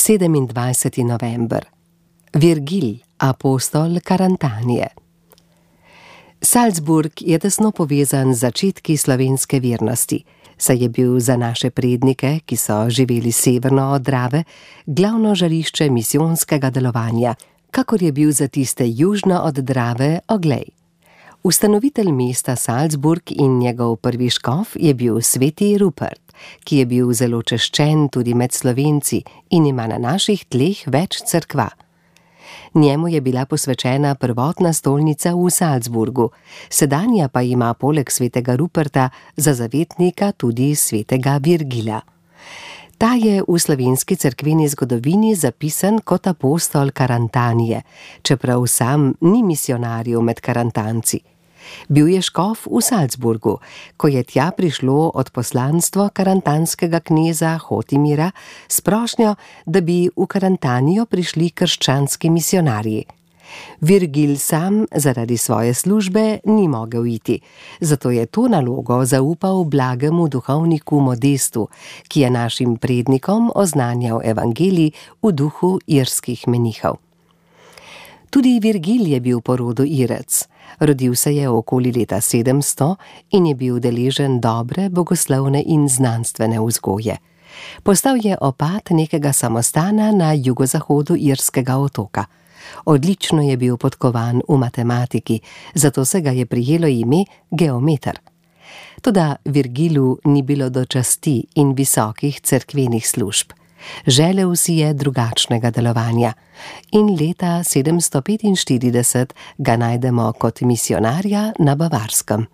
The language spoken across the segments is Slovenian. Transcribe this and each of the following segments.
27. november. Virgil, apostol Karantanije. Salzburg je tesno povezan z začetki slovenske vernosti, saj je bil za naše prednike, ki so živeli severno od Drave, glavno žarišče misijonskega delovanja, kakor je bil za tiste južno od Drave Oglej. Ustanovitelj mesta Salzburg in njegov prvi škof je bil sveti Rupert, ki je bil zelo češčen tudi med Slovenci in ima na naših tleh več cerkva. Njemu je bila posvečena prvotna stolnica v Salzburgu, sedanja pa ima poleg svetega Ruperta za zavetnika tudi svetega Virgila. Ta je v slovenski cerkveni zgodovini zapisan kot apostol Karantanije, čeprav sam ni misijonarjev med karantanci. Bil je škof v Salzburgu, ko je tja prišlo odposlanstvo karantanskega kneza Hotimira s prošnjo, da bi v Karantanijo prišli krščanski misijonarji. Virgil sam zaradi svoje službe ni mogel iti, zato je to nalogo zaupal blagemu duhovniku Modestu, ki je našim prednikom oznanjal evangelij v duhu irskih menihov. Tudi Virgil je bil po rodu Irec. Rodil se je okoli leta 700 in je bil deležen dobre, bogoslovne in znanstvene vzgoje. Postal je opat nekega samostana na jugozahodu irskega otoka. Odlično je bil podkovan v matematiki, zato se ga je prijelo ime geometer. Toda Virgilu ni bilo do časti in visokih cerkvenih služb. Želel si je drugačnega delovanja in leta 745 ga najdemo kot misijonarja na Bavarskem.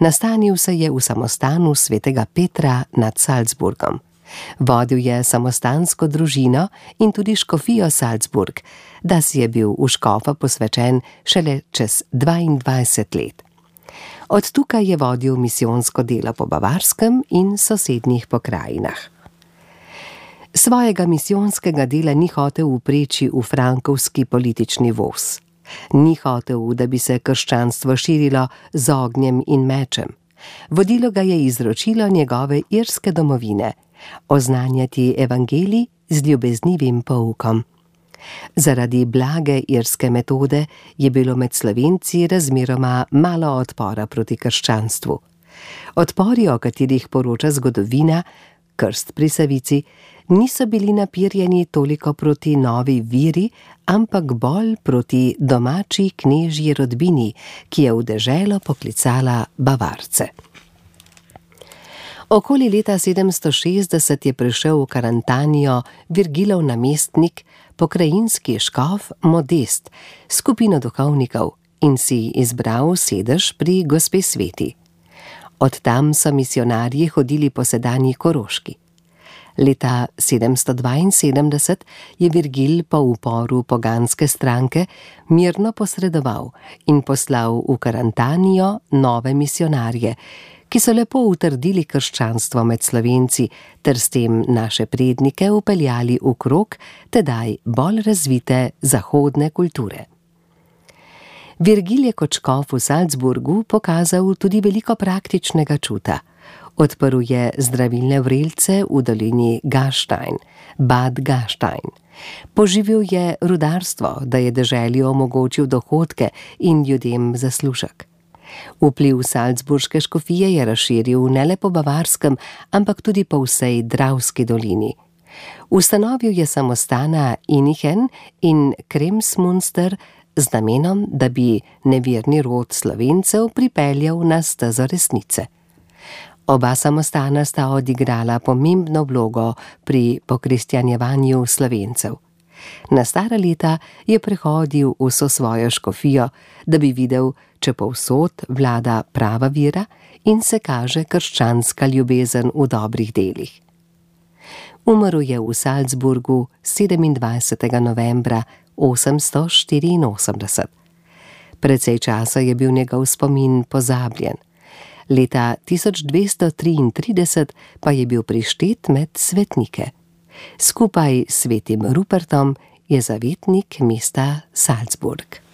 Nastanil se je v samostanu svetega Petra nad Salzburgom. Vodil je samostansko družino in tudi škofijo Salzburg, da si je bil v škofa posvečen šele čez 22 let. Od tukaj je vodil misijonsko delo po Bavarskem in sosednjih pokrajinah. Svojega misijonskega dela ni hotel vpreči v frankovski politični voz. Ni hotel, da bi se krščanstvo širilo z ognjem in mečem. Vodilo ga je izročilo njegove irske domovine, oznanjati evangelij z ljubeznivim poukom. Zaradi blage irske metode je bilo med Slovenci razmeroma malo odpora proti krščanstvu. Odpori, o katerih poroča zgodovina, krst pri Savici, niso bili napirjeni toliko proti novi viri, ampak bolj proti domači knežji rodbini, ki je v deželo poklicala Bavarce. Okoli leta 760 je prišel v Karantanijo Virgilov namestnik, pokrajinski škof Modest, skupino duhovnikov in si izbral sedež pri Gospe Sveti. Od tam so misijonarji hodili po sedanji Koroški. Leta 772 je Virgil po uporu poganske stranke mirno posredoval in poslal v Karantanijo nove misijonarje, ki so lepo utrdili krščanstvo med Slovenci ter s tem naše prednike vpeljali v krog tedaj bolj razvite zahodne kulture. Virgil je kot škof v Salzburgu pokazal tudi veliko praktičnega čuta. Odprl je zdravilne vrelce v dolini Gastein, Bad Gastein. Poživil je rudarstvo, da je deželi omogočil dohodke in ljudem zaslužek. Vpliv salzburške škofije je razširil ne le po Bavarskem, ampak tudi po vsej Dravski dolini. Ustanovil je samostana Inichen in Kremsmünster z namenom, da bi neverni rod Slovencev pripeljal na stezo resnice. Oba samostana sta odigrala pomembno vlogo pri pokristjanjevanju Slovencev. Na stara leta je prehodil vso svojo škofijo, da bi videl, če povsod vlada prava vera in se kaže krščanska ljubezen v dobrih delih. Umrl je v Salzburgu 27. novembra 884. Precej časa je bil njegov spomin pozabljen. Leta 1233 pa je bil prištet med svetnike. Skupaj s svetim Rupertom je zavetnik mesta Salzburg.